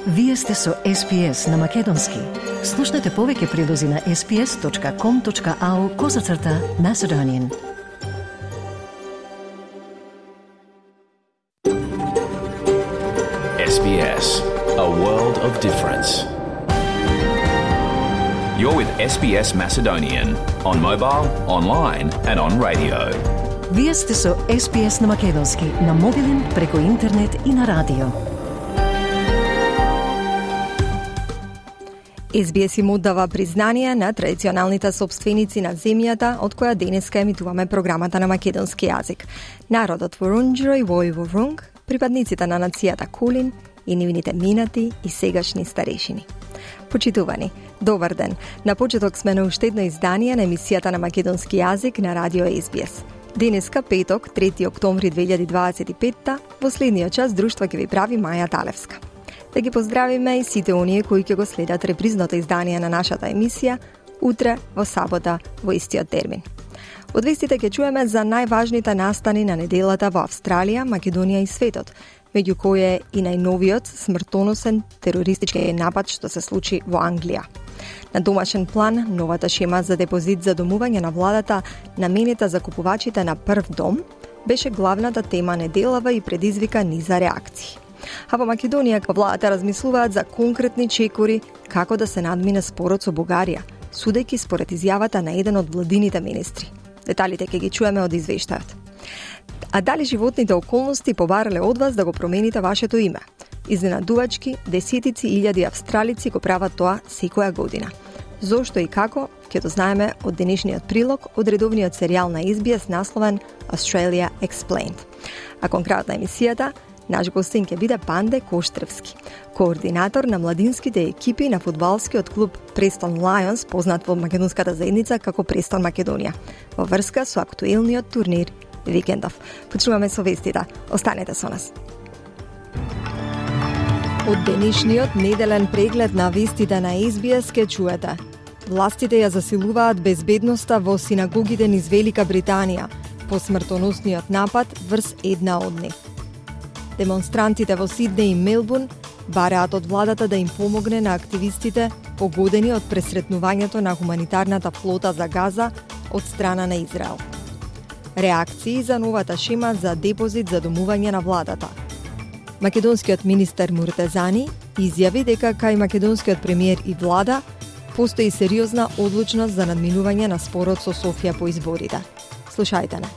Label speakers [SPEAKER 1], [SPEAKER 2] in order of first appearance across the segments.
[SPEAKER 1] Вие сте со SPS на Македонски. Слушнете повеќе прилози на sps.com.au/Macedonian.
[SPEAKER 2] SBS, a world of difference. You're with SBS Macedonian on mobile, online and on radio.
[SPEAKER 1] Вие сте со SPS на Македонски на мобилен, преку интернет и на радио.
[SPEAKER 3] SBS им оддава признание на традиционалните собственици на земјата од која денеска емитуваме програмата на македонски јазик. Народот Вурунџери вој Вурунг, припадниците на нацијата Кулин и нивните минати и сегашни старешини. Почитувани, добар ден. На почеток сме на уште едно издание на емисијата на македонски јазик на радио SBS. Денеска, петок, 3 октомври 2025, во следниот час друштво ќе ви прави Маја Талевска. Да ги поздравиме и сите оние кои ќе го следат репризното издание на нашата емисија утре во сабота во истиот термин. Од вестите ќе чуеме за најважните настани на неделата во Австралија, Македонија и светот, меѓу кои е и најновиот смртоносен терористички напад што се случи во Англија. На домашен план, новата шема за депозит за домување на владата, наменета за купувачите на прв дом, беше главната тема неделава и предизвика низа реакции. А во Македонија владата размислуваат за конкретни чекори како да се надмине спорот со Бугарија, судејќи според изјавата на еден од владините министри. Деталите ќе ги чуеме од извештајот. А дали животните околности побарале од вас да го промените вашето име? Изненадувачки, десетици илјади австралици го прават тоа секоја година. Зошто и како, ќе дознаеме од денешниот прилог од редовниот серијал на SBS насловен Australia Explained. А конкретно емисијата, наш гостин ќе биде Панде Коштревски, координатор на младинските екипи на фудбалскиот клуб Престон Лајонс, познат во македонската заедница како Престон Македонија, во врска со актуелниот турнир викендов. Почнуваме со вестите. Останете со нас. Од денешниот неделен преглед на вестите на SBS ке чуете. Властите ја засилуваат безбедноста во синагогите низ Велика Британија по смртоносниот напад врз една од нив. Демонстрантите во Сиднеј и Мелбурн бараат од владата да им помогне на активистите погодени од пресретнувањето на хуманитарната флота за Газа од страна на Израел. Реакции за новата шема за депозит за домување на владата. Македонскиот министер Муртезани изјави дека кај македонскиот премиер и влада постои сериозна одлучност за надминување на спорот со Софија по изборите. Слушајте не.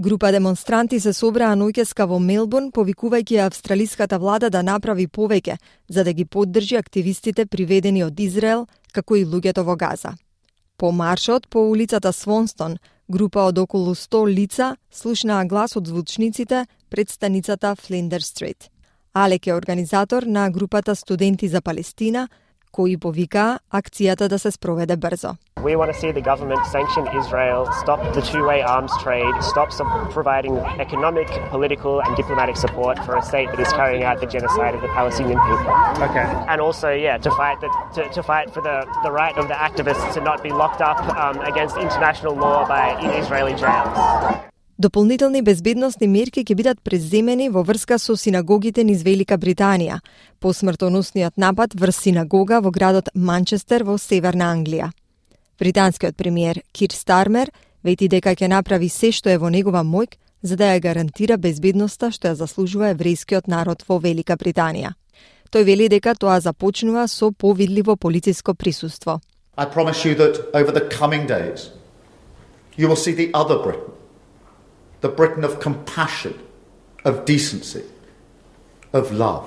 [SPEAKER 3] Група демонстранти се собраа ноќеска во Мелбурн, повикувајќи австралиската влада да направи повеќе за да ги поддржи активистите приведени од Израел, како и луѓето во Газа. По маршот по улицата Свонстон, група од околу 100 лица слушнаа глас од звучниците пред станицата Флиндер Стрит. Алек е организатор на групата Студенти за Палестина, кои повикаа акцијата да се спроведе брзо.
[SPEAKER 4] We want to see the government sanction Israel, stop the two-way arms trade, stop providing economic, political and diplomatic support for a state that is carrying out the genocide of the Palestinian people.
[SPEAKER 5] Okay.
[SPEAKER 4] And also, to fight for the right of the activists to not be locked up against international law in Israeli jails.
[SPEAKER 3] Дополнителни безбедносни мерки ќе бидат преземени во врска со синагогите низ Велика Британија, по смртоносниот напад врз синагога во градот Манчестер во Северна Англија. Британскиот премиер Кир Стармер вети дека ќе направи се што е во негова моќ за да ја гарантира безбедноста што ја заслужува еврејскиот народ во Велика Британија. Тој вели дека тоа започнува со повидливо полициско присуство.
[SPEAKER 5] I promise you that over the coming days you will see the other Britain. The Britain of compassion, of decency, of love.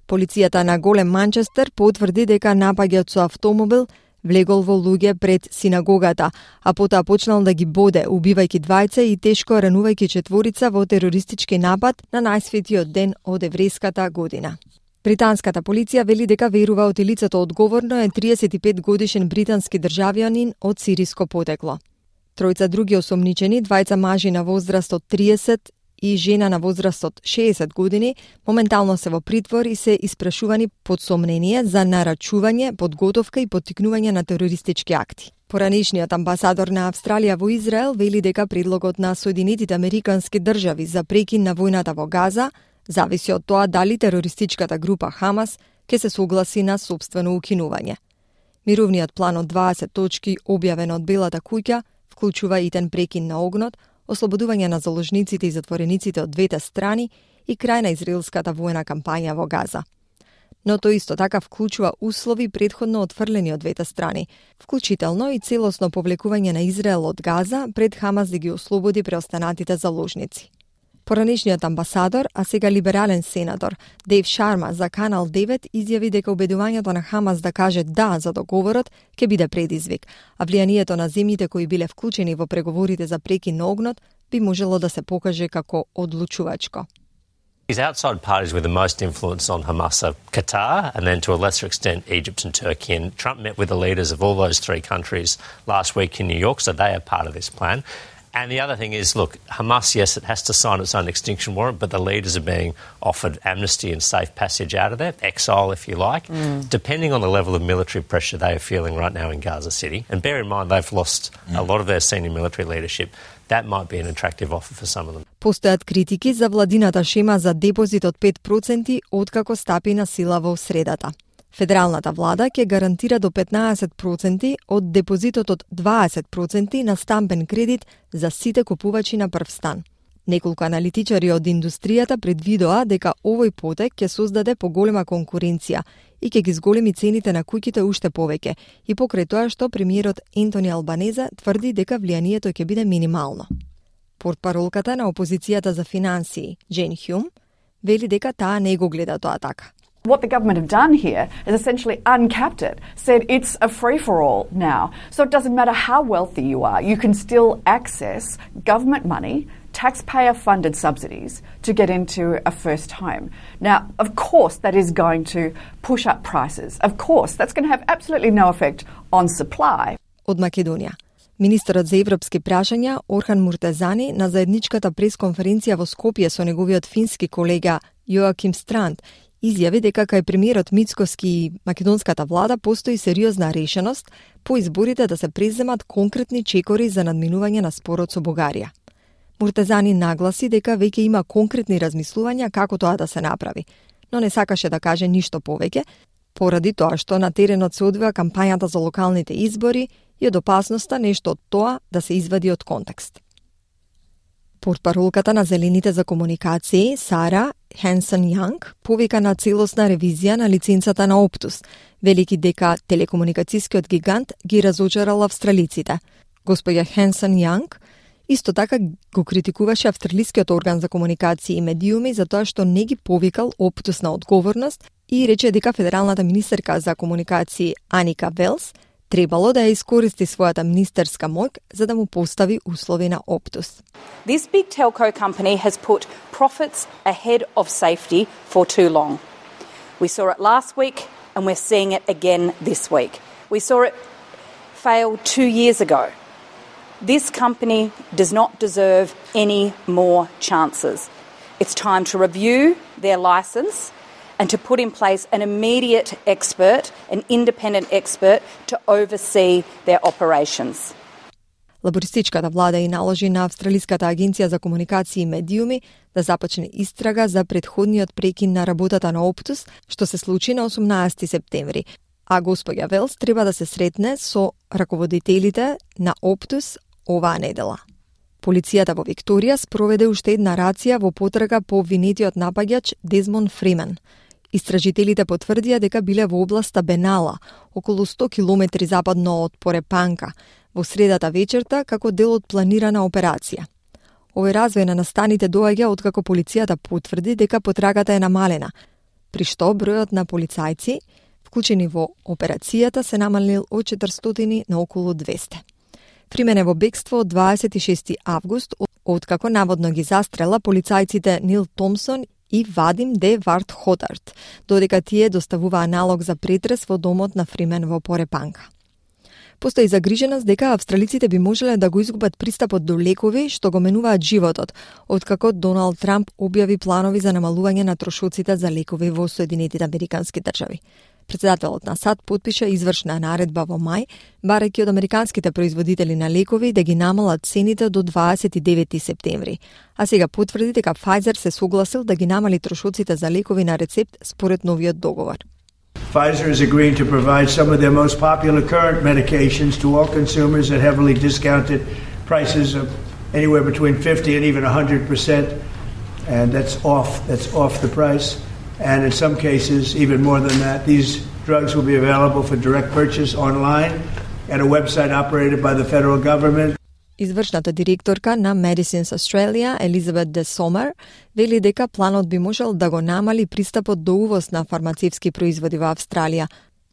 [SPEAKER 3] Полицијата на Голем Манчестер потврди дека нападот со автомобил влегол во луѓе пред синагогата, а потоа почнал да ги боде, убивајќи двајца и тешко ранувајќи четворица во терористички напад на најсветиот ден од еврејската година. Британската полиција вели дека верува од лицето одговорно е 35 годишен британски државјанин од сириско потекло. Тројца други осомничени, двајца мажи на возраст од 30 и жена на возраст од 60 години, моментално се во притвор и се испрашувани под сомнение за нарачување, подготовка и поттикнување на терористички акти. Поранешниот амбасадор на Австралија во Израел вели дека предлогот на Соединетите Американски држави за прекин на војната во Газа зависи од тоа дали терористичката група Хамас ќе се согласи на сопствено укинување. Мировниот план од 20 точки објавен од Белата куќа вклучува итен прекин на огнот, ослободување на заложниците и затворениците од двете страни и крај на израелската војна кампања во Газа. Но тоа исто така вклучува услови претходно отфрлени од двете страни, вклучително и целосно повлекување на Израел од Газа пред Хамас да ги ослободи преостанатите заложници. Поранешниот амбасадор, а сега либерален сенатор Дейв Шарма за Канал 9 изјави дека убедувањето на Хамас да каже да за договорот ќе биде предизвик, а влијанието на земјите кои биле вклучени во преговорите за прекин на огнот би можело да се покаже како одлучувачко.
[SPEAKER 6] These outside parties with the most influence on Hamas are Qatar and then to a lesser extent Egypt and Turkey. And Trump met with the leaders of all those three countries last week in New York, so they are part of this plan. And the other thing is, look, Hamas, yes, it has to sign its own extinction warrant, but the leaders are being offered amnesty and safe passage out of there, exile if you like, depending on the level of military pressure they are feeling right now in Gaza City. And bear in mind, they've lost a lot of their senior military leadership. That might be an attractive offer for some of them.
[SPEAKER 3] Постојат критики за владината шема за депозит од 5% откако стапи на сила во средата. Федералната влада ќе гарантира до 15% од депозитот од 20% на стамбен кредит за сите купувачи на прв стан. Неколку аналитичари од индустријата предвидоа дека овој потек ќе создаде поголема конкуренција и ќе ги зголеми цените на куќите уште повеќе, и покрај тоа што премиерот Ентони Албанезе тврди дека влијанието ќе биде минимално. Портпаролката на опозицијата за финансии, Джейн Хюм, вели дека таа не го гледа тоа така.
[SPEAKER 7] What the government have done here is essentially uncapped it, said it's a free-for-all now. So it doesn't matter how wealthy you are, you can still access government money, taxpayer-funded subsidies to get into a first home. Now, of course, that is going to push up prices. Of course, that's going to have absolutely no effect on supply.
[SPEAKER 3] Од Македонија. Министерот за европски прашања Орхан Муртезани на заедничката пресконференција во Скопје со неговиот фински колега Јоаким Странд изјави дека кај премиерот Мицкоски и македонската влада постои сериозна решеност по изборите да се преземат конкретни чекори за надминување на спорот со Бугарија. Муртезани нагласи дека веќе има конкретни размислувања како тоа да се направи, но не сакаше да каже ништо повеќе, поради тоа што на теренот се одвива кампањата за локалните избори и од опасноста нешто од тоа да се извади од контекст. Портпаролката на Зелените за комуникации, Сара Хенсон Јанг, повика на целосна ревизија на лиценцата на Optus, велики дека телекомуникацијскиот гигант ги разочарал австралиците. Господја Хенсон Јанг исто така го критикуваше австралискиот орган за комуникации и медиуми за тоа што не ги повикал Optus на одговорност и рече дека федералната министерка за комуникации Аника Велс требало да ја искористи својата министерска моќ за да му постави услови на Optus.
[SPEAKER 8] This big telco company has put profits ahead of safety for too long. We saw it last week and we're seeing it again this week. We saw it fail 2 years ago. This company does not deserve any more chances. It's time to review their license and to put in place an immediate expert, an independent expert, to oversee their operations.
[SPEAKER 3] Лабористичката влада и наложи на Австралиската агенција за комуникации и медиуми да започне истрага за претходниот прекин на работата на Optus, што се случи на 18 септември, а господја Велс треба да се сретне со раководителите на Optus оваа недела. Полицијата во Викторија спроведе уште една рација во потрага по обвинетиот напаѓач Дезмонд Фримен. Истражителите потврдија дека биле во областа Бенала, околу 100 километри западно од Порепанка, во средата вечерта како дел од планирана операција. Овој развој на настаните доаѓа откако полицијата потврди дека потрагата е намалена, при што бројот на полицајци вклучени во операцијата се намалил од 400 на околу 200. Фримен е во бегство од 26 август, откако наводно ги застрела полицајците Нил Томсон и Вадим Де Варт Хотард, додека тие доставуваа налог за претрес во домот на Фримен во Порепанка. Постои загриженост дека австралиците би можеле да го изгубат пристапот до лекови што го менуваат животот, откако Доналд Трамп објави планови за намалување на трошоците за лекови во Соединетите Американски држави. Председателот на САД потпиша извршна наредба во мај, барајќи од американските производители на лекови да ги намалат цените до 29 септември. А сега потврди дека Pfizer се согласил да ги намали трошоците за лекови на рецепт според новиот договор.
[SPEAKER 9] Pfizer is agreeing to provide some of their most popular current medications to all consumers at heavily discounted prices of anywhere between 50 and even 100%, and that's off the price. And in some cases, even more than that, these drugs will be available for direct purchase online at a website operated by the federal government.
[SPEAKER 3] Извршната директорка на Medicines Australia, Елизабет Де Сомер, вели дека планот би можел да го намали пристапот до увоз на фармацевски производи во Австралија,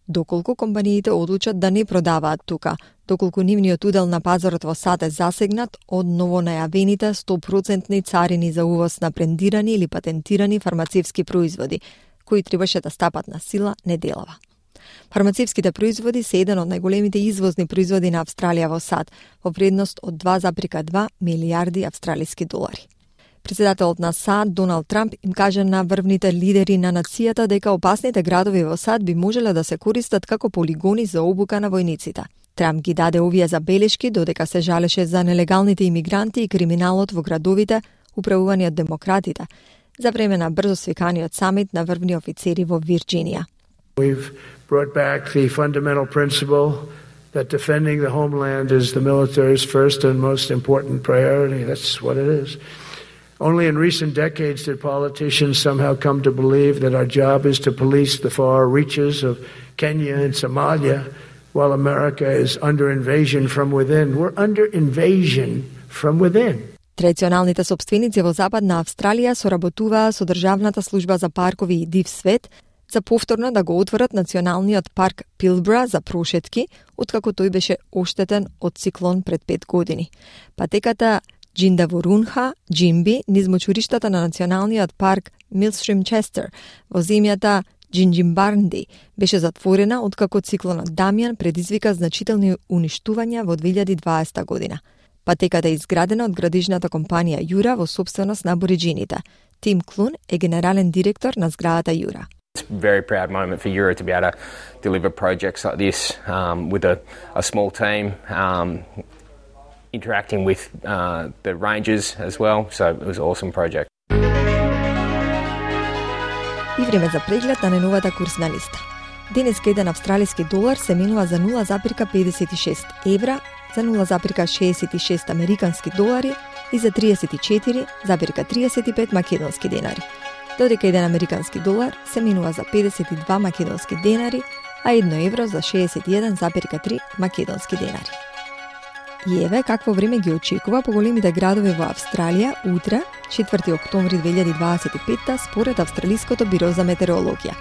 [SPEAKER 3] доколку компаниите одлучат да не продаваат тука, доколку нивниот удел на пазарот во САД е засегнат од новонајавените 100% царини за увоз на брендирани или патентирани фармацевски производи, кои требаше да стапат на сила неделава. Фармацевските производи се еден од најголемите извозни производи на Австралија во САД, во вредност од 2,2 милиарди австралиски долари. Председателот на САД, Доналд Трамп, им каже на врвните лидери на нацијата дека опасните градови во САД би можеле да се користат како полигони за обука на војниците. Трамп ги даде овие забелешки додека се жалеше за нелегалните имигранти и криминалот во градовите, управувани од демократите, за време на брзо свиканиот самит на врвни офицери во Вирџинија.
[SPEAKER 9] We've brought back the fundamental principle that defending the homeland is the military's first and most important priority. That's what it is. Only in recent decades did politicians somehow come to believe that our job is to police the far reaches of Kenya and Somalia while America is under invasion from within. We're under invasion from within.
[SPEAKER 3] Традиционалните собственици во Западна Австралија соработуваа со Државната служба за паркови и див свет за повторно да го отворат националниот парк Пилбра за прошетки, откако тој беше оштетен од циклон пред 5 години. Патеката Джиндавурунха, Джимби, низ мочуриштата на националниот парк Милстрим Честер во земјата Джинджимбарнди беше затворена откако циклонот Дамјан предизвика значителни уништувања во 2020 година. Патеката е изградена од градежната компанија Јура во собственост на абориџините. Тим Клун е генерален директор на зградата Јура.
[SPEAKER 10] It's a very proud moment for Jura to be able to deliver projects like this with a small team, interacting with the rangers as well. So it was an awesome project.
[SPEAKER 3] И време за преглед на најновата курсна листа. Денеска еден австралиски долар се менува за 0,56 евра, за 0,66 американски долари и за 34,35 македонски денари. Додека еден американски долар се менува за 52 македонски денари, а 1 евро за 61,3 македонски денари. И еве какво време ги очекува по големите градови во Австралија утре, 4 октомври 2025 според Австралиското биро за метеорологија.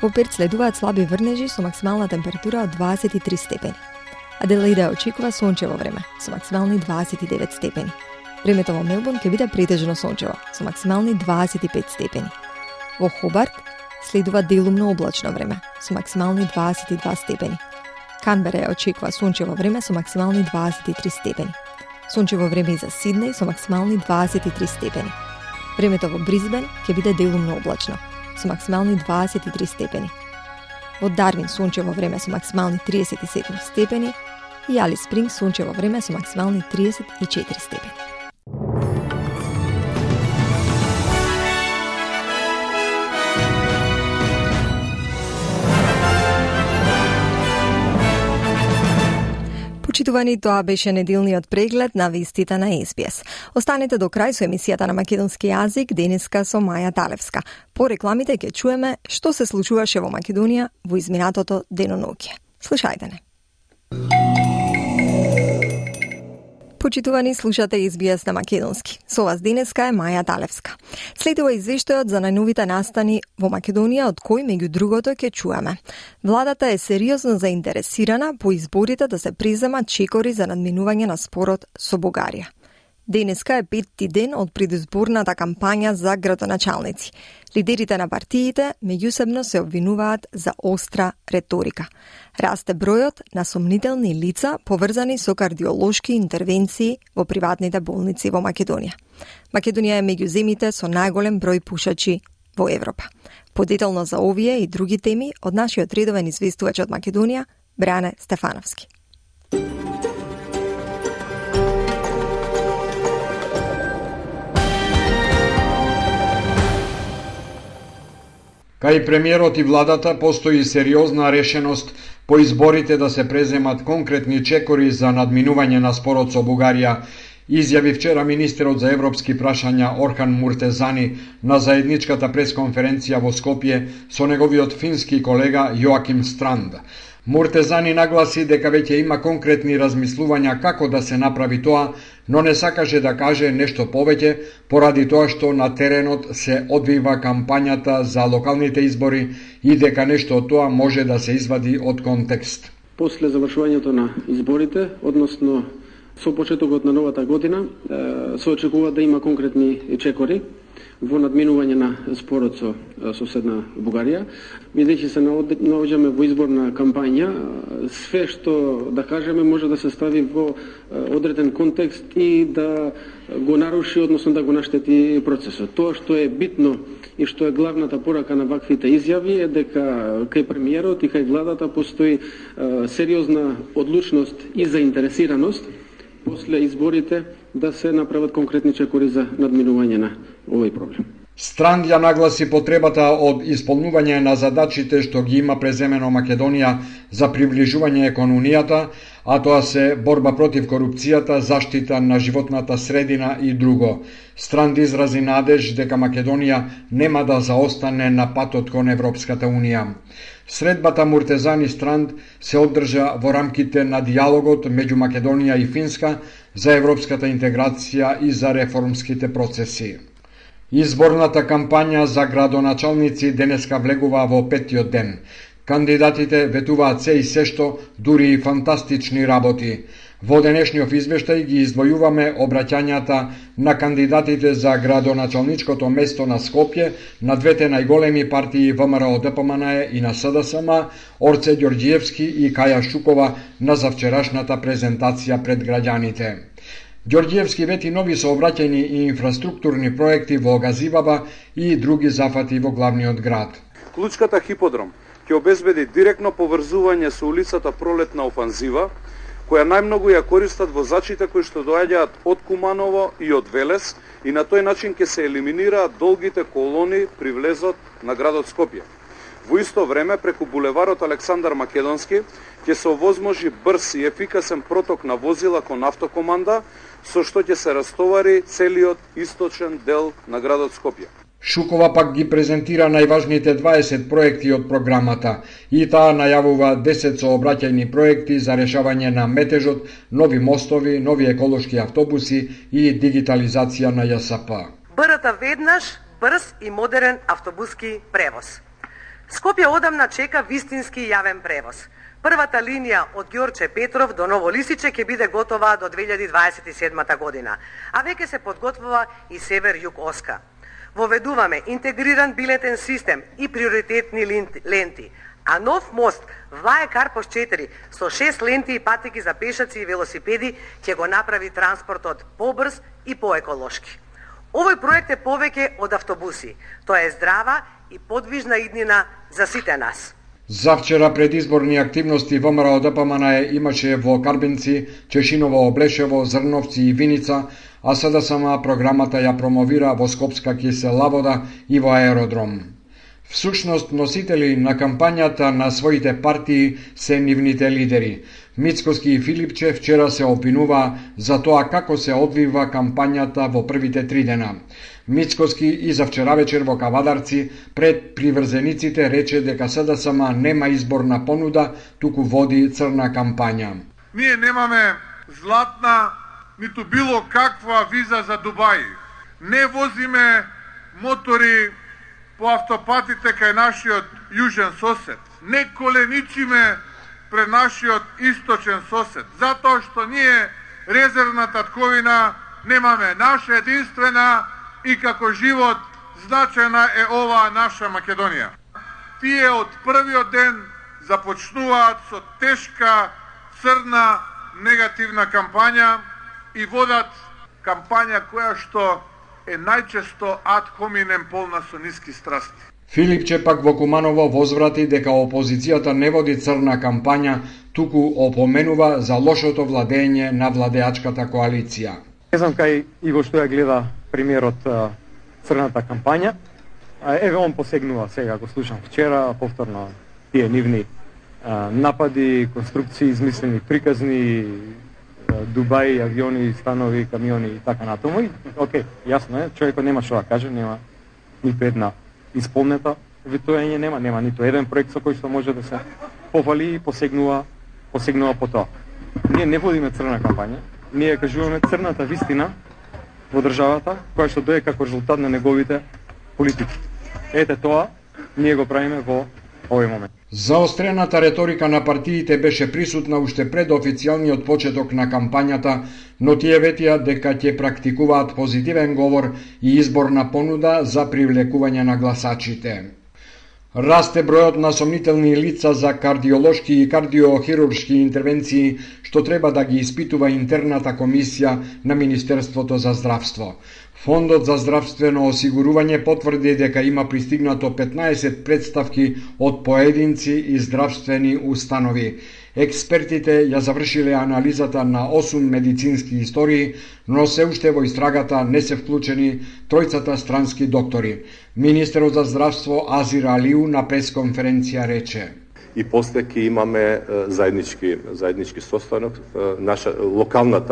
[SPEAKER 3] Во Перт следуваат слаби врнежи со максимална температура од 23 степени. Аделаида очекува сончево време со максимални 29 степени. Времето во Мелбурн ќе биде претежно сончево со максимални 25 степени. Во Хобарт следува делумно облачно време со максимални 22 степени. Канбера ја очекува сончево време со максимални 23 степени. Сончево време и за Сиднеј со максимални 23 степени. Времето во Бризбен ќе биде делумно облачно со максимални 23 степени. Во Дарвин сончево време со максимални 37 степени и Алис Спрингс сончево време со максимални 34 степени. Почитувани, тоа беше неделниот преглед на вестите на СБС. Останете до крај со емисијата на македонски јазик денеска со Маја Талевска. По рекламите ќе чуеме што се случуваше во Македонија во изминатото деноноќе. Слушајте не. Почитувани, слушате СБС на македонски. Со вас денеска е Маја Талевска. Следува извештајот за најновите настани во Македонија, од кој меѓу другото ќе чуеме. Владата е сериозно заинтересирана по изборите да се преземат чекори за надминување на спорот со Бугарија. Денеска е 5ти ден од предизборната кампања за градоначалници. Лидерите на партиите меѓусебно се обвинуваат за остра реторика. Расте бројот на сомнителни лица поврзани со кардиолошки интервенции во приватните болници во Македонија. Македонија е меѓу земите со најголем број пушачи во Европа. Подетално за овие и други теми од нашиот редовен известувач од Македонија, Бране Стефановски.
[SPEAKER 11] Кај премиерот и владата постои сериозна решеност по изборите да се преземат конкретни чекори за надминување на спорот со Бугарија, изјави вчера министерот за европски прашања Орхан Муртезани на заедничката пресконференција во Скопје со неговиот фински колега Јоаким Странд. Муртезани нагласи дека веќе има конкретни размислувања како да се направи тоа, но не сакаше да каже нешто повеќе поради тоа што на теренот се одвива кампањата за локалните избори и дека нешто од тоа може да се извади од контекст.
[SPEAKER 12] После завршувањето на изборите, односно со почетокот на новата година, се очекува да има конкретни чекори во надминување на спорот со соседна Бугарија. Бидејќи се наоѓаме во изборна кампања, све што да кажеме може да се стави во одреден контекст и да го наруши, односно да го наштети процесот. Тоа што е битно и што е главната порака на ваквите изјави е дека кај премиерот и кај владата постои сериозна одлучност и заинтересираност после изборите да се направат конкретни чекори за надминување на овој проблем.
[SPEAKER 11] Странд ја нагласи потребата од исполнување на задачите што ги има преземено Македонија за приближување кон Унијата, а тоа се борба против корупцијата, заштита на животната средина и друго. Странд изрази надеж дека Македонија нема да заостане на патот кон Европската Унија. Средбата Муртезани Странд се одржа во рамките на диалогот меѓу Македонија и Финска за европската интеграција и за реформските процеси. Изборната кампања за градоначалници денеска влегува во 5-тиот ден. Кандидатите ветуваат се и сешто, дури и фантастични работи. Во денешниот извештај ги издвојуваме обраќањата на кандидатите за градоначалничкото место на Скопје на двете најголеми партии ВМРО-ДПМНЕ и на СДСМ, Орце Ѓорѓиевски и Каја Шукова на завчерашната презентација пред граѓаните. Ѓорѓиевски вети нови сообраќајни и инфраструктурни проекти во Газибаба и други зафати во главниот град.
[SPEAKER 13] Клучката хиподром ќе обезбеди директно поврзување со улицата Пролетна офанзива, која најмногу ја користат возачите кои што доаѓаат од Куманово и од Велес, и на тој начин ќе се елиминираат долгите колони при влезот на градот Скопје. Во исто време, преку булеварот Александар Македонски, ќе се овозможи брз и ефикасен проток на возила кон автокоманда, со што ќе се растовари целиот источен дел на градот Скопје.
[SPEAKER 11] Шукова пак ги презентира најважните 20 проекти од програмата и таа најавува 10 сообраќајни проекти за решавање на метежот, нови мостови, нови еколошки автобуси и дигитализација на ЈСП.
[SPEAKER 14] БРТ веднаш, брз и модерен автобуски превоз. Скопје одамна чека вистински јавен превоз. Првата линија од Ѓорче Петров до Ново Лисиче ќе биде готова до 2027 година, а веќе се подготвува и Север-Југ Оска. Воведуваме интегриран билетен систем и приоритетни ленти, а нов мост Влае Карпош 4 со 6 ленти и патеки за пешаци и велосипеди ќе го направи транспортот побрз и поеколошки. Овој проект е повеќе од автобуси. Тоа е здрава и подвижна иднина за сите нас.
[SPEAKER 11] Завчера предизборни активности ВМРО-ДПМНЕ имаше во Карбинци, Чешиново, Облешево, Зрновци и Виница, а СДСМ програмата ја промовира во Скопска кисела вода и во аеродром. Всушност, носители на кампањата на своите партии се нивните лидери. Мицкоски и Филипче вчера се опинува за тоа како се одвива кампањата во првите 3 дена. Мицкоски и за вчера вечер во Кавадарци пред приврзениците рече дека СДСМ нема изборна понуда, туку води црна кампања.
[SPEAKER 15] Ние немаме златна, ниту било каква виза за Дубај. Не возиме мотори по автопатите кај нашиот јужен сосед. Не коленичиме пред нашиот источен сосед, затоа што ние резервна татковина немаме. Наша единствена и како живот значена е оваа наша Македонија. Тие од првиот ден започнуваат со тешка, црна, негативна кампања и водат кампања која што е најчесто ад hominem полна со ниски страсти.
[SPEAKER 11] Филипче пак во Куманово возврати дека опозицијата не води црна кампања, туку опоменува за лошото владење на владеачката коалиција.
[SPEAKER 16] Не знам кај и во што ја гледа премиерот црната кампања. Еве он посегнува сега, го слушам вчера, повторно тие нивни напади, конструкции, измислени приказни, Дубај, авиони, станови, камиони и така натаму. Океј, јасно е, човекот нема што да каже, нема ниту една исполнета ветување, нема ниту еден проект со кој што може да се повали и посегнува по тоа. Ние не водиме црна кампања, ние кажуваме црната вистина во државата, која што дое како резултат на неговите политики. Ете тоа, ние го правиме во овој момент.
[SPEAKER 11] Заострената реторика на партиите беше присутна уште пред официјалниот почеток на кампањата, но тие ветија дека ќе практикуваат позитивен говор и изборна понуда за привлекување на гласачите. Расте бројот на сомнителни лица за кардиолошки и кардиохируршки интервенции, што треба да ги испитува интерната комисија на Министерството за здравство. Фондот за здравствено осигурување потврди дека има пристигнато 15 представки од поединци и здравствени установи. Експертите ја завршиле анализата на 8 медицински истории, но се уште во истрагата не се вклучени тројцата странски доктори. Министерот за здравство Азир Алиу на пресконференција рече:
[SPEAKER 17] и после ќе имаме заеднички состанок, наша локален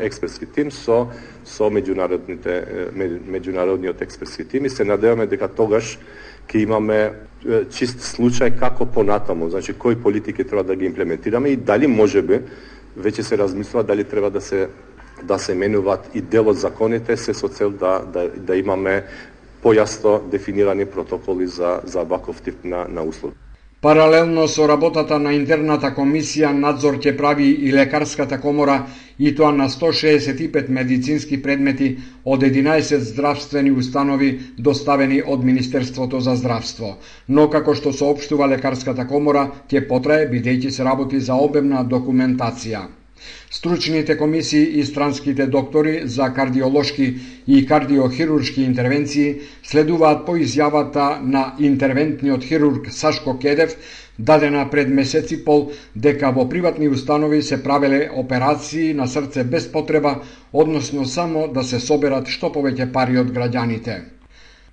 [SPEAKER 17] експертски тим со меѓународниот експертски тим и се надеваме дека тогаш ќе имаме чист случај како понатаму, значи кои политики треба да ги имплементираме и дали можеби веќе се размислува дали треба да се менуваат и дел од законите се со цел да имаме појасно дефинирани протоколи за ваков тип на услуги.
[SPEAKER 11] Паралелно со работата на интерната комисија, надзор ќе прави и лекарската комора, и тоа на 165 медицински предмети од 11 здравствени установи доставени од Министерството за здравство. Но како што соопштува лекарската комора, ќе потрае бидејќи се работи за обемна документација. Стручните комисии и странските доктори за кардиолошки и кардиохируршки интервенции следуваат по изјавата на интервентниот хирург Сашко Кедев, дадена пред месец и пол, дека во приватни установи се правеле операции на срце без потреба, односно само да се соберат што повеќе пари од граѓаните.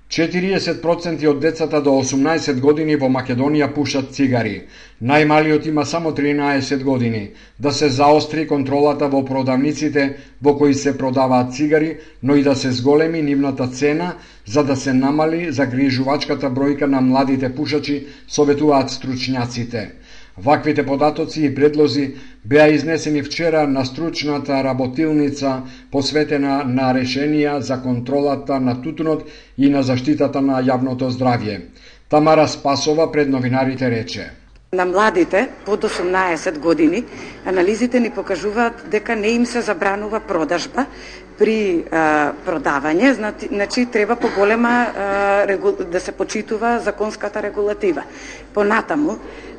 [SPEAKER 11] 40% од децата до 18 години во Македонија пушат цигари. Најмалиот има само 13 години. Да се заостри контролата во продавниците во кои се продаваат цигари, но и да се зголеми нивната цена за да се намали загрижувачката бројка на младите пушачи, советуваат стручњаците. Ваквите податоци и предлози беа изнесени вчера на стручната работилница посветена на решенија за контролата на тутунот и на заштитата на јавното здравје. Тамара Спасова пред новинарите рече:
[SPEAKER 18] на младите под 18 години анализите ни покажуваат дека не им се забранува продажба при продавање, значи треба поголема да се почитува законската регулатива. Понатаму,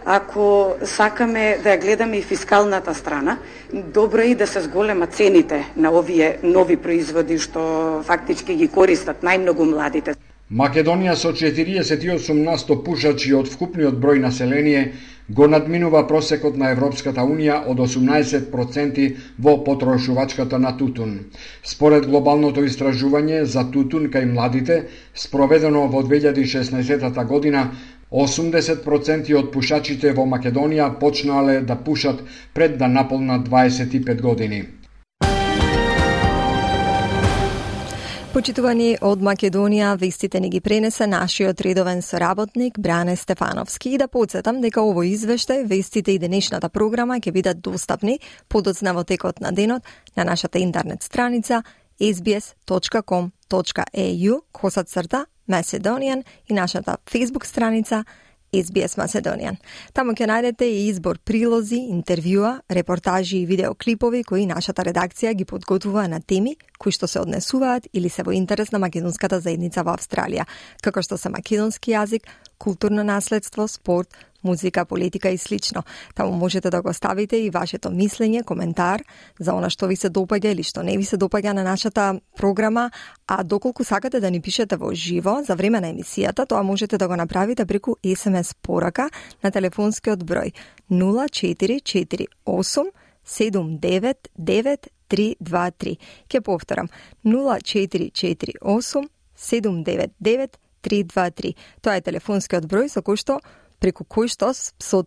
[SPEAKER 18] ако сакаме да ја гледаме и фискалната страна, добро е и да се зголема цените на овие нови производи што фактички ги користат најмногу младите.
[SPEAKER 11] Македонија со 48% пушачи од вкупниот број население го надминува просекот на Европската Унија од 18% во потрошувачката на тутун. Според глобалното истражување за тутун кај младите, спроведено во 2016 година, 80% од пушачите во Македонија почнале да пушат пред да наполнат 25 години.
[SPEAKER 3] Почитувани од Македонија, вестите ни ги пренесе нашиот редовен соработник Бране Стефановски. И да подсетам дека овој извештај, вестите и денешната програма ќе бидат достапни подоцна во текот на денот на нашата интернет страница sbs.com.au/Macedonian и нашата Facebook страница SBS Macedonian. Таму ќе најдете и избор прилози, интервјуа, репортажи и видеоклипови кои нашата редакција ги подготвува на теми кои што се однесуваат или се во интерес на македонската заедница во Австралија, како што се македонски јазик, културно наследство, спорт, музика, политика и слично. Таму можете да го ставите и вашето мислење, коментар за она што ви се допаѓа или што не ви се допаѓа на нашата програма, а доколку сакате да ни пишете во живо за време на емисијата, тоа можете да го направите преку SMS порака на телефонскиот број 0448 799 323. Ке повторам, 0448 799 323. Тоа е телефонскиот број со кој што преку кој што со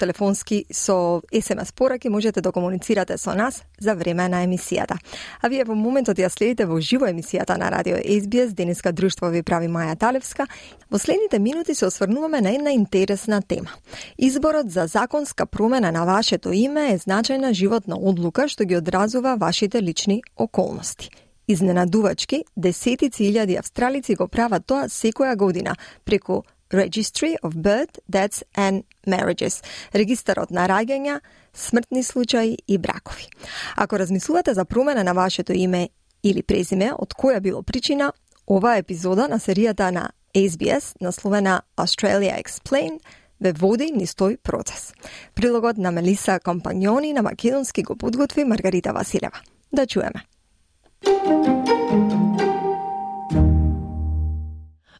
[SPEAKER 3] SMS пораки можете да комуницирате со нас за време на емисијата. А вие во моментот ја следите во живо емисијата на Радио SBS, денеска друштво ви прави Маја Талевска. Во следните минути се осврнуваме на една интересна тема. Изборот за законска промена на вашето име е значајна животна одлука што ги одразува вашите лични околности. Изненадувачки, десетици илјади австралици го прават тоа секоја година преку Registry of Birth, Deaths and Marriages, регистарот на раѓања, смртни случаи и бракови. Ако размислувате за промена на вашето име или презиме, од која било причина, оваа епизода на серијата на SBS, насловена Australia Explained, ве води низ тој процес. Прилогот на Мелиса Компаньони на македонски го подготви Маргарита Василева. Да чуеме.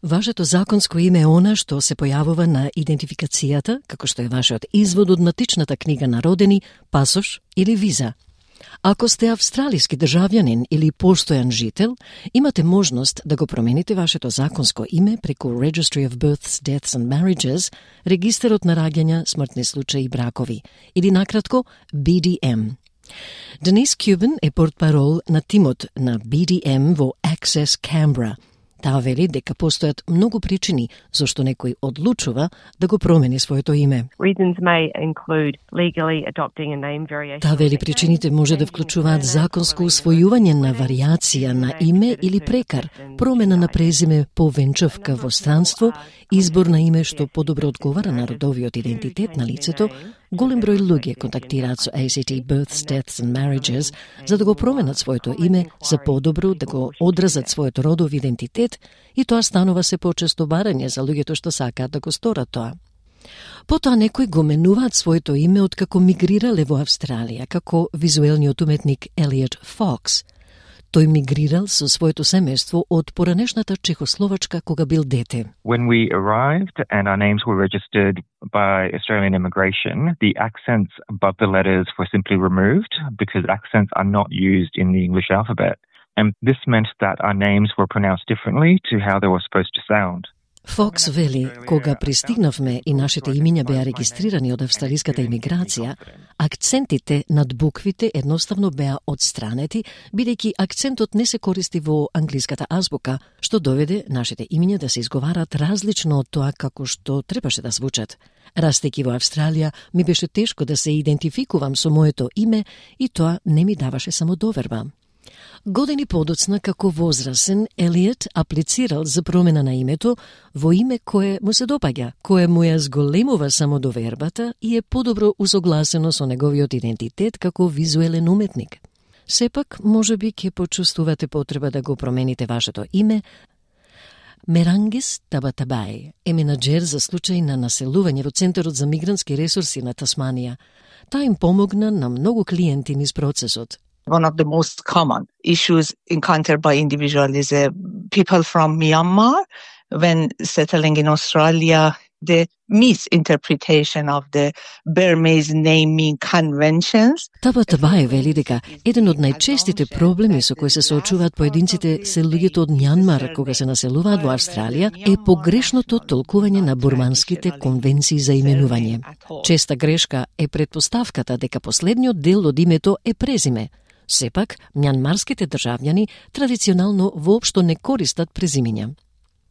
[SPEAKER 1] Вашето законско име е она што се појавува на идентификацијата, како што е вашиот извод од матичната книга на родени, пасош или виза. Ако сте австралиски државјанин или постојан жител, имате можност да го промените вашето законско име преку Registry of Births, Deaths and Marriages, регистарот на раѓања, смртни случаи и бракови, или накратко BDM. Денис Кюбен е портпарол на тимот на BDM во Access Canberra. Таа вели дека постојат многу причини зашто некој одлучува да го промени своето име. Таа вели причините може да вклучуваат законско усвојување на варијација на име или прекар, промена на презиме по венчавка во странство, избор на име што подобро одговара на родовиот идентитет на лицето. Голем број луѓе контактираат со ACT Births, Deaths and Marriages за да го променат своето име за подобро да го одразат својот родов идентитет и тоа станува се почесто барање за луѓето што сакаат да го сторат тоа. Потоа некои го менуваат своето име откако мигрирале во Австралија, како визуелниот уметник Elliot Fox. Тој мигрирал со своето семејство од поранешната Чехословачка кога бил дете.
[SPEAKER 19] When we arrived and our names were registered by Australian immigration, the accents above the letters were simply removed because accents are not used in the English alphabet. And this meant that our names were pronounced differently to how they were supposed to sound.
[SPEAKER 1] Фокс вели, кога пристигнавме и нашите имиња беа регистрирани од австралиската имиграција, акцентите над буквите едноставно беа одстранети, бидејќи акцентот не се користи во англиската азбука, што доведе нашите имиња да се изговарат различно од тоа како што требаше да звучат. Растејќи во Австралија, ми беше тешко да се идентификувам со моето име и тоа не ми даваше самодоверба. Години подоцна, како возрасен, Елиот аплицирал за промена на името во име кое му се допаѓа, кое му ја зголемува самодовербата и е подобро усогласено со неговиот идентитет како визуелен уметник. Сепак, можеби ќе почувствувате потреба да го промените вашето име. Мерангис Табатабај е менаџер за случај на населување во Центарот за мигрантски ресурси на Тасманија. Таа им помогна на многу клиенти низ процесот.
[SPEAKER 20] One of the most common issues encountered by individuals is people from Myanmar when settling in Australia. The misinterpretation of the Burmese naming conventions.
[SPEAKER 1] Табатабај вели дека еден од најчестите проблеми со кои се соочуваат поединците се луѓето од Мјанмар кога се населуваат во Австралија е погрешното толкување на бурманските конвенции за именување. Честа грешка е претпоставката дека последниот дел од името е презиме. Сепак, мјанмарските државјани традиционално воопшто не користат презимиња.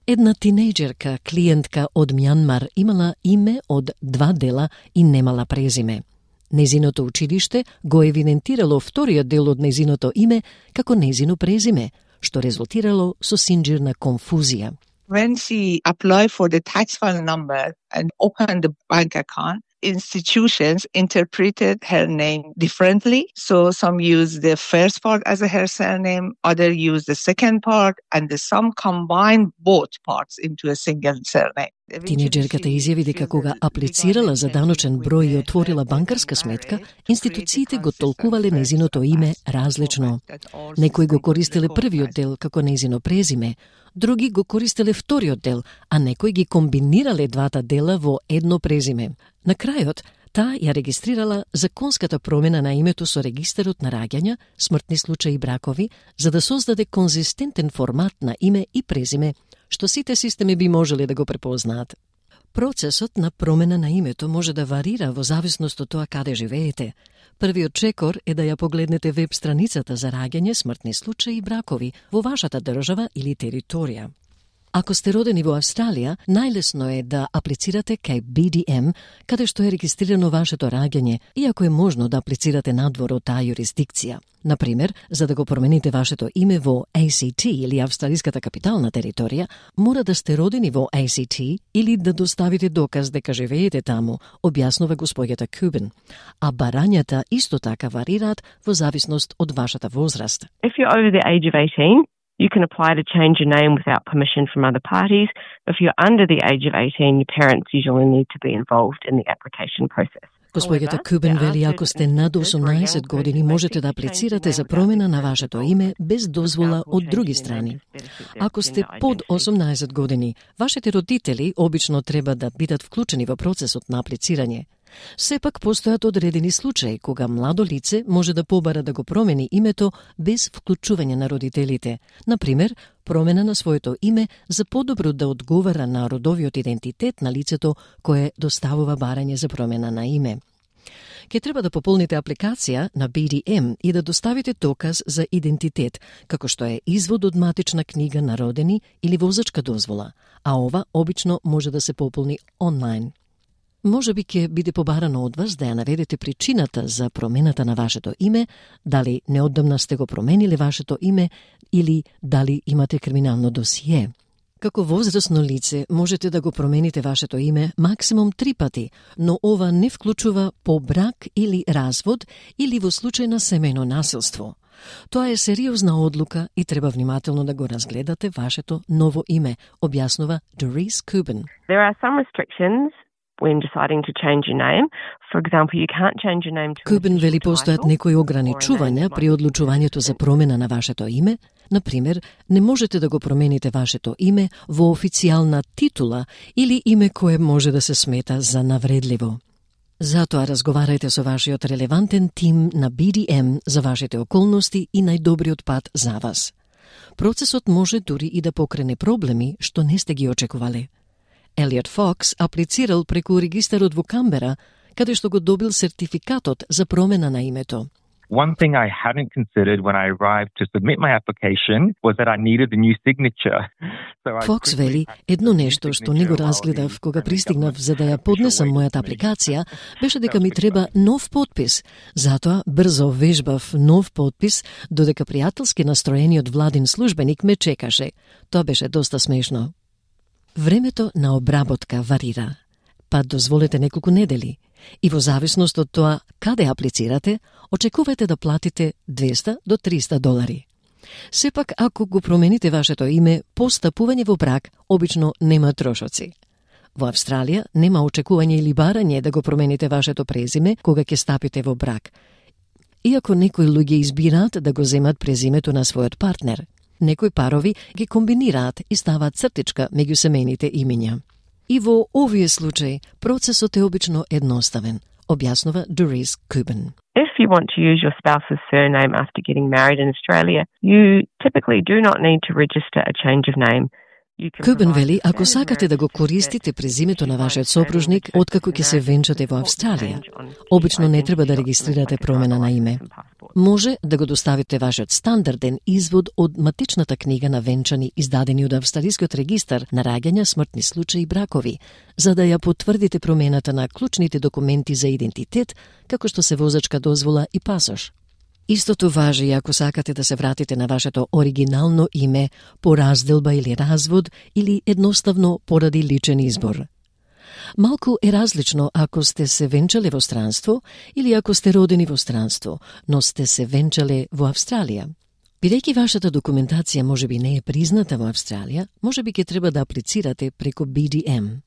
[SPEAKER 1] Една тинејџерка, клиентка од Мјанмар, имала име од 2 дела и немала презиме. Нејзиното училиште го евидентирало вториот дел од нејзиното име како нејзино презиме, што резултирало со синџирна конфузија.
[SPEAKER 20] When she applied for the tax file number and opened the bank account, institutions interpreted her name differently. So some used the first part as her surname, others used the second part, and some combined both parts into a single surname.
[SPEAKER 1] Тинеџерката изјави дека кога аплицирала за даночен број и отворила банкарска сметка, институциите го толкувале незиното име различно. Некои го користеле првиот дел како незино презиме, други го користеле вториот дел, а некои ги комбинирале двата дела во едно презиме. На крајот, таа ја регистрирала законската промена на името со регистарот на раѓања, смртни случаи и бракови, за да создаде конзистентен формат на име и презиме, што сите системи би можеле да го препознаат. Процесот на промена на името може да варира во зависност од тоа каде живеете. Првиот чекор е да ја погледнете веб страницата за раѓање, смртни случаи и бракови во вашата држава или територија. Ако сте родени во Австралија, најлесно е да аплицирате кај BDM, каде што е регистрирано вашето раѓање, иако е можно да аплицирате надвор од таа юрисдикција. Например, за да го промените вашето име во ACT или Австралиската капитална територија, мора да сте родени во ACT или да доставите доказ дека живеете таму, објаснува господјата Кубен. А барањата исто така варираат во зависност од вашата возраст.
[SPEAKER 21] If you're over the age of 18, you can apply to change your name without permission from other parties. If you're under the age of 18, your parents usually need to be involved in the application process.
[SPEAKER 1] Господјата Кубен вели, ако сте над 18 години, можете да аплицирате за промена на вашето име без дозвола од други страни. Ако сте под 18 години, вашите родители обично треба да бидат вклучени во процесот на аплицирање. Сепак постојат одредени случаи кога младо лице може да побара да го промени името без вклучување на родителите. Например, промена на своето име за подобро да одговара на родовиот идентитет на лицето кое доставува барање за промена на име. Ке треба да пополните апликација на BDM и да доставите доказ за идентитет, како што е извод од матична книга на родени или возачка дозвола, а ова обично може да се пополни онлайн. Може би ќе биде побарано од вас да ја наведете причината за промената на вашето име, дали неодамна сте го промениле вашето име или дали имате криминално досие. Како возрасно лице можете да го промените вашето име максимум 3 пати, но ова не вклучува по брак или развод или во случај на семејно насилство. Тоа е сериозна одлука и треба внимателно да го разгледате вашето ново име, објаснува Doris Cuban.
[SPEAKER 21] There are some restrictions when deciding to change your name. For example, you can't change your name to
[SPEAKER 1] Кубен вели постојат некои ограничувања при одлучувањето за промена на вашето име. Например, не можете да го промените вашето име во официјална титула или име кое може да се смета за навредливо. Затоа разговарајте со вашиот релевантен тим на BDM за вашите околности и најдобриот пат за вас. Процесот може дури и да покрене проблеми што не сте ги очекувале. Елиот Фокс аплицирал преку регистарот во Камбера, каде што го добил сертификатот за промена на името.
[SPEAKER 19] One thing I hadn't considered when I arrived to submit my application was that I needed a new signature.
[SPEAKER 1] Фокс вели, едно нешто што не го разгледав кога пристигнав за да ја поднесам мојата апликација, беше дека ми треба нов подпис. Затоа брзо вежбав нов подпис, додека пријателски настроениот владин службеник ме чекаше. Тоа беше доста смешно. Времето на обработка варира, па дозволете неколку недели. И во зависност од тоа каде аплицирате, очекувајте да платите $200 до $300. Сепак, ако го промените вашето име по стапување во брак, обично нема трошоци. Во Австралија нема очекување или барање да го промените вашето презиме кога ќе стапите во брак. Иако некои луѓе избираат да го земат презимето на својот партнер, некои парови ги комбинираат и ставаат цртичка меѓу семејните имиња. И во овие случаи процесот е обично едноставен, објаснува Doris Cuban.
[SPEAKER 21] If you want to use your spouse's surname after getting married in Australia, you typically do not need to register a change of name.
[SPEAKER 1] Кубен вели, ако сакате да го користите презимето на вашиот сопружник откако ќе се венчате во Австралија, обично не треба да регистрирате промена на име. Може да го доставите вашиот стандарден извод од матичната книга на венчани издадени од Австралискиот регистар на раѓања, смртни случаи и бракови, за да ја потврдите промената на клучните документи за идентитет, како што се возачка дозвола и пасош. Истото важи и ако сакате да се вратите на вашето оригинално име по разделба или развод или едноставно поради личен избор. Малку е различно ако сте се венчале во странство или ако сте родени во странство, но сте се венчале во Австралија. Бидејќи вашата документација можеби не е призната во Австралија, можеби ќе треба да аплицирате преку BDM.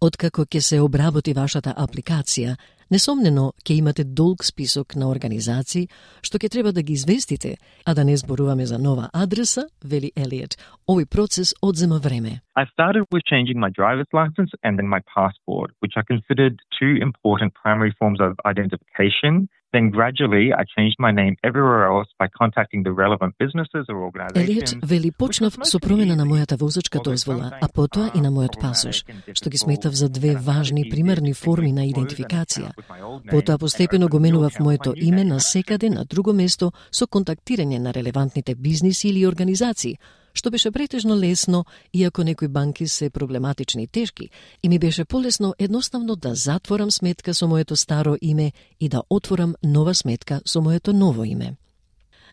[SPEAKER 1] Откако ќе се обработи вашата апликација, несомнено ќе имате долг список на организации што ќе треба да ги известите, а да не зборуваме за нова адреса, вели Елиот. Овој процес одзема време.
[SPEAKER 19] I started with changing my driver's license and then my passport, which I considered two important primary forms of identification. Then gradually I changed my name everywhere else by contacting the relevant businesses or organizations.
[SPEAKER 1] Елиот вели почнав со промена на мојата возачка дозвола, а потоа и на мојот пасош, што ги сметав за две важни примерни форми на идентификација. Потоа постепено го менував моето име на секаде на друго место со контактирање на релевантните бизниси или организации, што беше претежно лесно, иако некои банки се проблематични и тешки, и ми беше полесно едноставно да затворам сметка со моето старо име и да отворам нова сметка со моето ново име.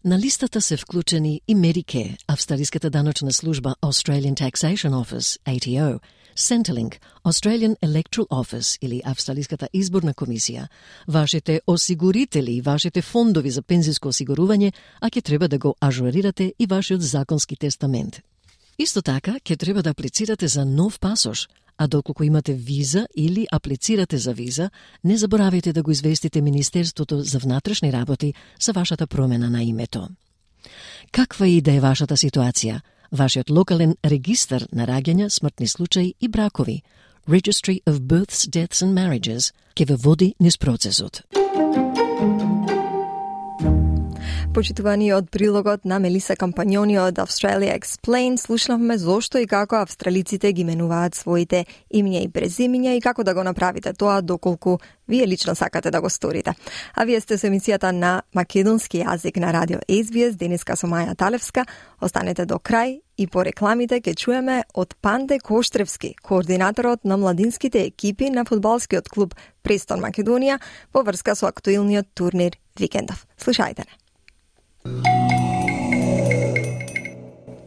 [SPEAKER 1] На листата се вклучени и Medicare, австралиската даночна служба Australian Taxation Office, ATO, Centrelink, Australian Electoral Office или Австралиската изборна комисија, вашите осигурители и вашите фондови за пензиско осигурување, а ќе треба да го ажурирате и вашиот законски тестамент. Исто така, ќе треба да аплицирате за нов пасош, а доколку имате виза или аплицирате за виза, не заборавајте да го известите Министерството за внатрешни работи за вашата промена на името. Каква и да е вашата ситуација, вашиот локален регистар на раѓања, смртни случаи и бракови, Registry of Births, Deaths and Marriages, ќе ве води низ процесот.
[SPEAKER 3] Почитувани од прилогот на Мелиса Кампањони од Australia Explained, слушнавме зошто и како австралиците ги менуваат своите имиња и презимиња и како да го направите тоа доколку вие лично сакате да го сторите. А вие сте со емисијата на македонски јазик на радио SBS, денеска со Маја Талевска. Останете до крај и по рекламите ќе чуеме од Панде Коштревски, координаторот на младинските екипи на фудбалскиот клуб Престон Македонија во врска со актуелниот турнир викендов. Слушајте не.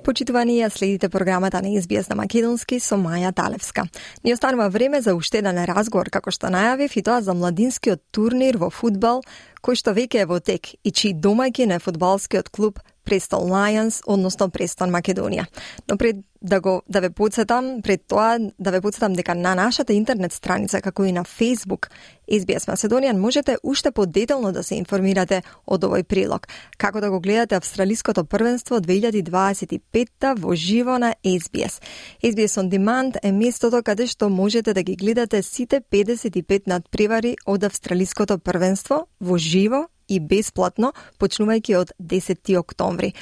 [SPEAKER 3] Почитувани, ја следите програмата на SBS на македонски со Маја Талевска. Ни останува време за уште еден разговор, како што најавив, и тоа за младинскиот турнир во фудбал, кој што веќе е во тек и чиј домаќин е фудбалскиот клуб Preston Lions, односно Престон Македонија. Но пред да ве подсетам дека на нашата интернет страница, како и на Facebook SBS Macedonian, можете уште подетално да се информирате од овој прилог, како да го гледате австралиското првенство 2025 во живо на SBS. SBS On Demand е местото каде што можете да ги гледате сите 55 надпревари од австралиското првенство во живо и бесплатно, почнувајќи од 10 октомври.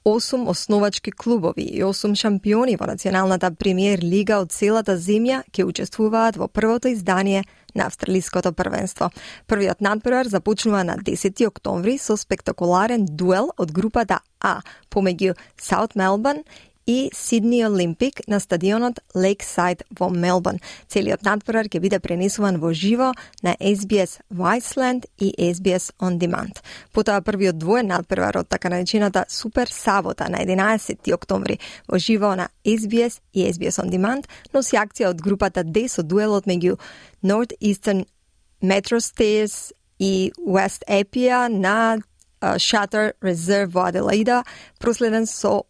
[SPEAKER 3] 8 основачки клубови и 8 шампиони во националната премиер лига од целата земја ќе учествуваат во првото издание на австралиското првенство. Првиот надпревар започнува на 10 октомври со спектакуларен дуел од групата А помеѓу South Melbourne и Сидни Олимпик на стадионот Lakeside во Мелбурн. Целиот надпревар ќе биде пренесуван во живо на SBS Viceland и SBS On Demand. Потоа првиот двоен надпревар од така наречената Супер Сабота на 11 октомври во живо на SBS и SBS On Demand носи акција од групата D со дуелот меѓу Northeastern Metro Stairs и West Epia на Shutter Reserve во Аделаида, проследен со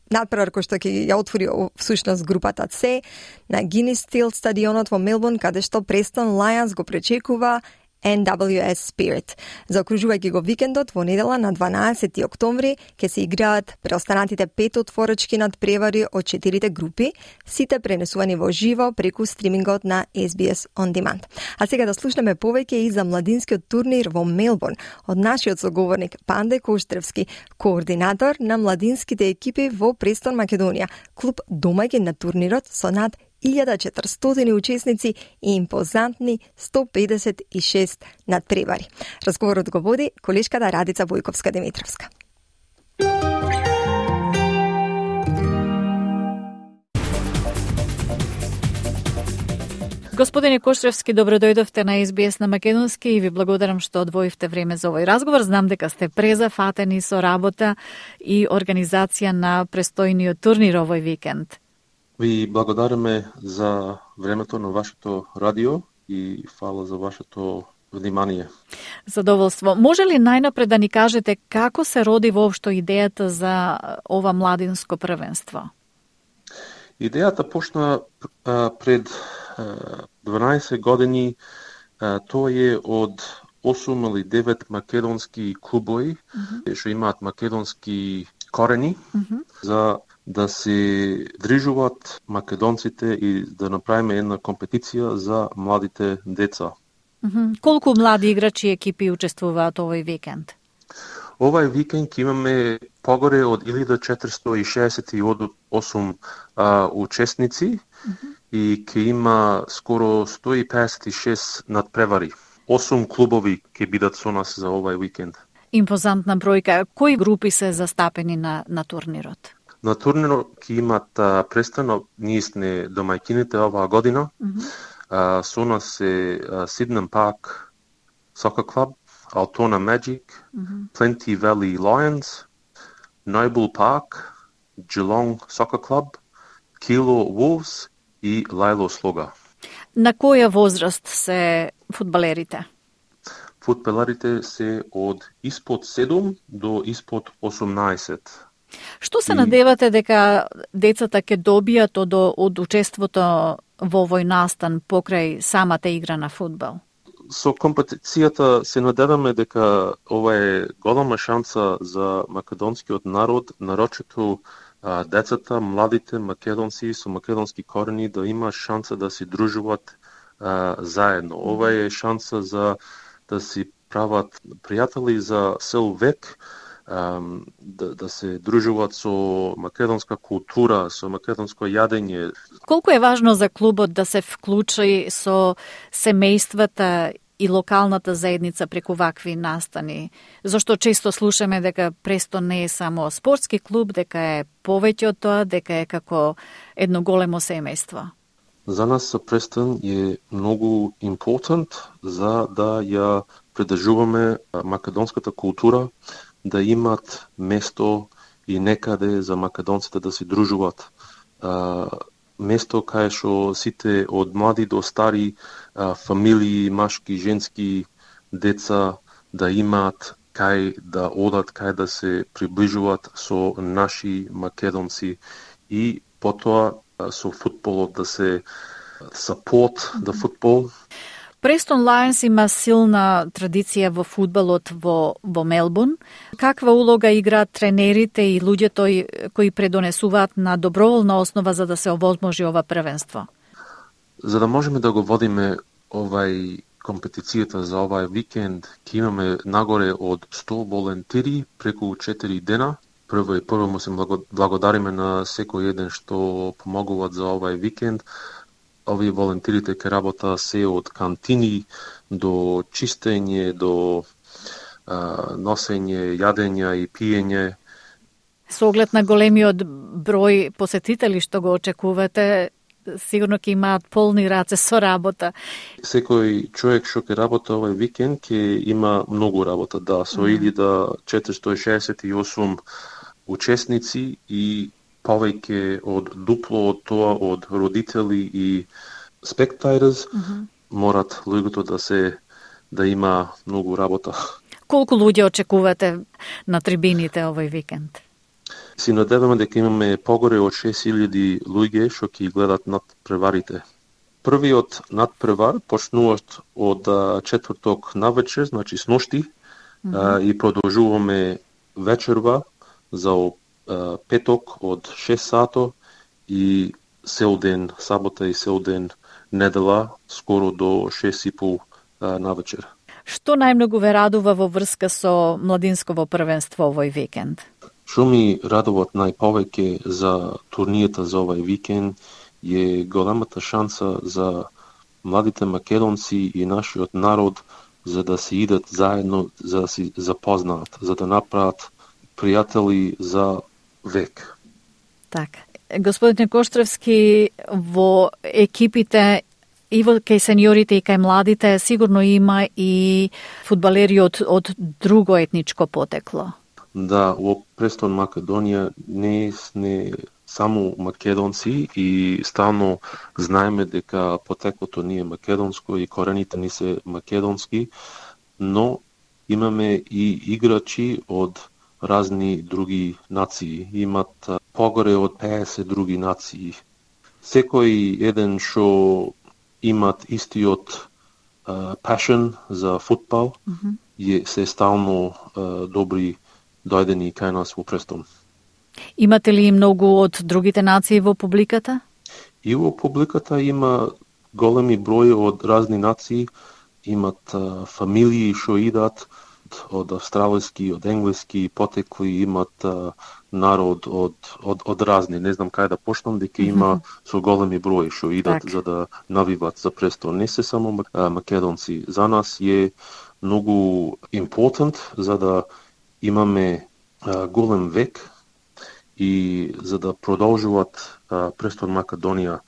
[SPEAKER 3] надпревар кој што ќе ја отвори всушност групата С на Guinness Steel стадионот во Мелбурн, каде што Preston Lions го пречекува NWS Spirit. Заокружувајќи го викендот, во недела на 12 октомври ќе се играат преостанатите 5 отворачки надпревари од 4 групи, сите пренесувани во живо преку стримингот на SBS On Demand. А сега да слушнеме повеќе и за младинскиот турнир во Мелбурн од нашиот соговорник Панде Коштревски, координатор на младинските екипи во Престон Македонија, клуб домаќин на турнирот со над 1400 учесници и импозантни 156 надпревари. Разговорот го води колешката Радица Војковска-Димитровска.
[SPEAKER 2] Господине Коштревски, добро дојдовте на SBS на македонски и ви благодарам што одвоивте време за овој разговор. Знам дека сте презафатени со работа и организација на престојниот турнир овој викенд.
[SPEAKER 22] Ви благодариме за времето на вашето радио и фала за вашето внимание.
[SPEAKER 2] Задоволство. Може ли најнапред да ни кажете како се роди воопшто идејата за ова младинско првенство?
[SPEAKER 22] Идејата почна пред 12 години. Тоа е од 8 или 9 македонски клубови што имаат македонски корени за да се држуваат македонците и да направиме една компетиција за младите деца.
[SPEAKER 2] Колку млади играчи и екипи учествуваат овој викенд?
[SPEAKER 22] Овај викенд имаме погоре од 1468 учесници и ќе има скоро 156 надпревари. 8 клубови ќе бидат со нас за овај викенд.
[SPEAKER 2] Импозантна бројка. Кои групи се застапени на турнирот?
[SPEAKER 22] На турнирот ќе имат престано, ние сме домаќините оваа година. Со нас се Сиднем Парк Soccer Club, Altona Magic, Plenty Valley Lions, Noble Park, Geelong Soccer Club, Kilo Wolves и Лајло Слога.
[SPEAKER 2] На која возраст се фудбалерите?
[SPEAKER 22] Фудбалерите се од испод 7 до испод 18.
[SPEAKER 2] Што се надевате дека децата ќе добијат од учеството во овој настан покрај самата игра на фудбал?
[SPEAKER 22] Со компетицијата се надеваме дека ова е голема шанса за македонскиот народ, нарочито децата, младите македонци со македонски корени да има шанса да се дружуваат заедно. Ова е шанса за да си прават пријатели за цел век, да се дружуваат со македонска култура, со македонско јадење.
[SPEAKER 2] Колку е важно за клубот да се вклучи со семејствата и локалната заедница преку вакви настани? Зашто често слушаме дека Престон не е само спортски клуб, дека е повеќе од тоа, дека е како едно големо семејство.
[SPEAKER 22] За нас Престон е многу импортант за да ја придржуваме македонската култура, да имат место и некаде за македонците да се дружуваат. Место кај што сите од млади до стари фамилии, машки, женски, деца да имаат кај да одат, кај да се приближуваат со наши македонци и потоа со футболот да се support the football.
[SPEAKER 2] Престон Лајонс има силна традиција во фудбалот во Мелбурн. Каква улога играат тренерите и луѓето кои предонесуваат на доброволна основа за да се овозможи ова првенство?
[SPEAKER 22] За да можеме да го водиме овај компетицијата за овај викенд, ќе имаме нагоре од 100 волонтери преку 4 дена. Прво му се благодариме на секој еден што помогуваат за овај викенд. Овие волонтерите ќе работа се од кантини до чистење, до носење, јадење и пиење.
[SPEAKER 2] Со оглед на големиот број посетители што го очекувате, сигурно ќе имаат полни раце со работа.
[SPEAKER 22] Секој човек што ќе работа овај викенд ќе има многу работа, да, со 1468 учесници и повеќе од дупло од тоа од родители и spectators, морат луѓето да има многу работа.
[SPEAKER 2] Колку луѓе очекувате на трибините овој викенд?
[SPEAKER 22] Си надеваме дека имаме погоре од 6000 луѓе што ќе гледат надпреварите. Првиот надпревар почнуваат од четврток навечер, значи сношти, и продолжуваме вечерва за петок од 6 сато и сел ден сабота и сел ден недела скоро до 6:30 навечер.
[SPEAKER 2] Што најмногу ве радува во врска со младинсково првенство овој викенд?
[SPEAKER 22] Што ми радуваат најповеќе за турнијата за овај викенд е големата шанса за младите македонци и нашиот народ за да се идат заедно, за да се запознаат, за да направат пријатели за век.
[SPEAKER 2] Така. Господине Коштревски, во екипите и во кај сениорите и кај младите сигурно има и фудбалери од друго етничко потекло.
[SPEAKER 22] Да, во Престон Македонија не сме само македонци и стално знаеме дека потеклото ни е македонско и корените ни се македонски, но имаме и играчи од разни други нации. Имат погоре од 50 други нации секој еден што имат истиот passion за футбол, се стално добри дојдени кај нас во Престон.
[SPEAKER 2] Имате ли многу од другите нации во публиката?
[SPEAKER 22] И во публиката има големи број од разни нации, имат фамилии што идат од австралиски, од енглески потекли, имат народ од разни, не знам кај да почнам, дека има со големи број што идат за да навиват за Престон. Не се само македонци. За нас е многу important за да имаме голем век и за да продолжуваат Престон Македонија,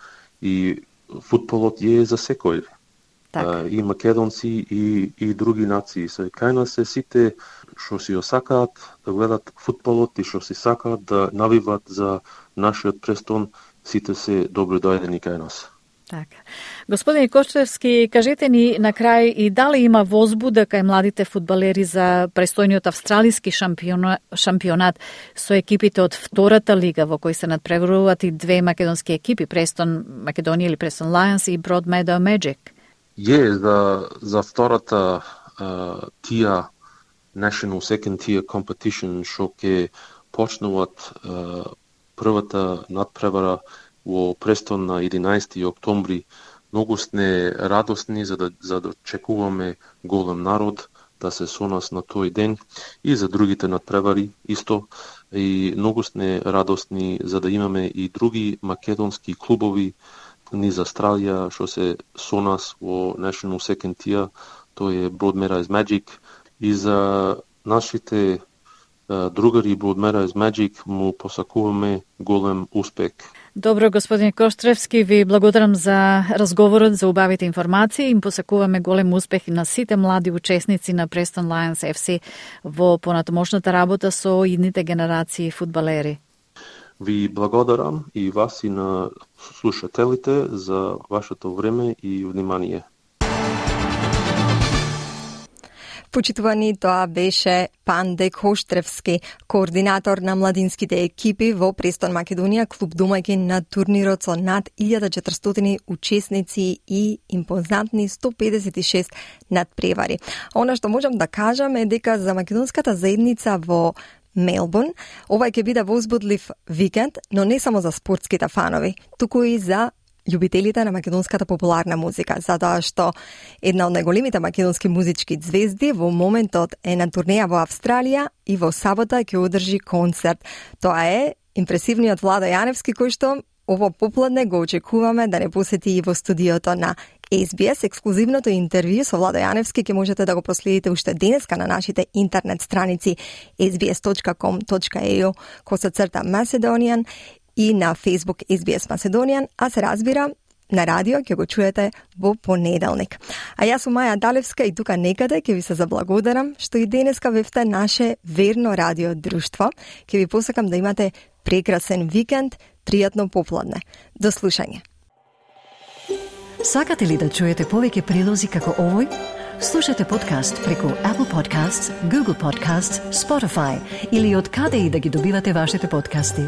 [SPEAKER 22] и футболот е за секој. И македонци и други нации. Кај нас се сите што си осакаат да гледат футболот и што си сакаат да навиват за нашиот Престон, сите се добро дојдени кај нас.
[SPEAKER 2] Така. Господин Коштревски, кажете ни на крај и дали има возбуда кај младите фудбалери за престојниот австралиски шампионат со екипите од втората лига во кој се надпреваруваат и две македонски екипи, Престон Македонија или Престон Lions и Broadmeadow Magic?
[SPEAKER 22] За втората тија National Second Tier Competition што ќе почнуваат првата надпревара во Престон на 11 октомври. Многу сме радосни за да чекуваме голем народ да се со нас на тој ден, и за другите надпревари исто. И многу сме радосни за да имаме и други македонски клубови низ Австралија што се со нас во National Second Tier, тој е Broadmeadow Magic, и за нашите другари Broadmeadow Magic му посакуваме голем успех.
[SPEAKER 2] Добро, господин Коштревски, ви благодарам за разговорот, за убавите информации. Им посакуваме голем успех на сите млади учесници на Preston Lions FC во понатамошната работа со идните генерации фудбалери.
[SPEAKER 22] Ви благодарам и вас и на слушателите за вашето време и внимание.
[SPEAKER 3] Почитувани, тоа беше Панде Коштревски, координатор на младинските екипи во Престон Македонија, клуб домаќин на турнирот со над 1400 учесници и импозантни 156 надпревари. Она што можам да кажам е дека за македонската заедница во Мелбурн овај ќе биде возбудлив викенд, но не само за спортските фанови, туку и за љубителите на македонската популарна музика, затоа што една од најголемите македонски музички звезди во моментот е на турнеја во Австралија и во сабота ќе одржи концерт. Тоа е импресивниот Владо Јаневски, кој што ово попладне го очекуваме да не посети и во студиото на SBS. Ексклузивното интервју со Владо Јаневски ќе можете да го проследите уште денеска на нашите интернет страници sbs.com.au/Macedonian и на Facebook SBS Macedonian, а се разбира, на радио ќе го чуете во понеделник. А јас сум Маја Далевска и тука некаде ќе ви се заблагодарам што и денеска бевте наше верно радио друштво. Ќе ви посакам да имате прекрасен викенд, пријатно попладне. До слушање.
[SPEAKER 1] Сакате ли да чуете повеќе прилози како овој? Слушате подкаст преку Apple Podcasts, Google Podcasts, Spotify или од каде и да ги добивате вашите подкасти.